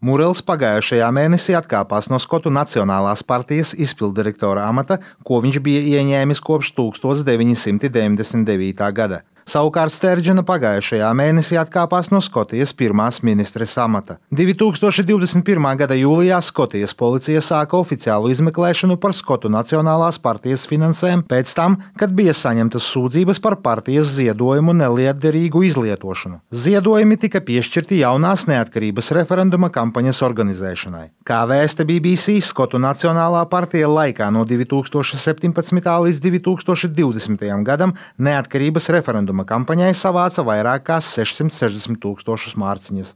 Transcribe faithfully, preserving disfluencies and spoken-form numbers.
Murels pagājušajā mēnesī atkāpās no Skotu Nacionālās partijas izpilddirektora amata, ko viņš bija ieņēmis kopš tuksstoš deviņi simti deviņdesmit devītā gada. Savukārt Sterdžena pagājušajā mēnesī atkāpās no Skotijas pirmās ministres amata. divi tūkstoši divdesmit pirmā gada jūlijā Skotijas policija sāka oficiālu izmeklēšanu par Skotu Nacionālās partijas finansēm pēc tam, kad bija saņemtas sūdzības par partijas ziedojumu nelietderīgu izlietošanu. Ziedojumi tika piešķirti jaunās neatkarības referenduma kampaņas organizēšanai. Kā vēsta B B C, Skotu Nacionālā partija laikā no divi tūkstoši septiņpadsmitā līdz divi tūkstoši divdesmitajam gadam neatkarības referenduma kampaņai savāca vairāk kā sešsimt sešdesmit tūkstošus mārciņas.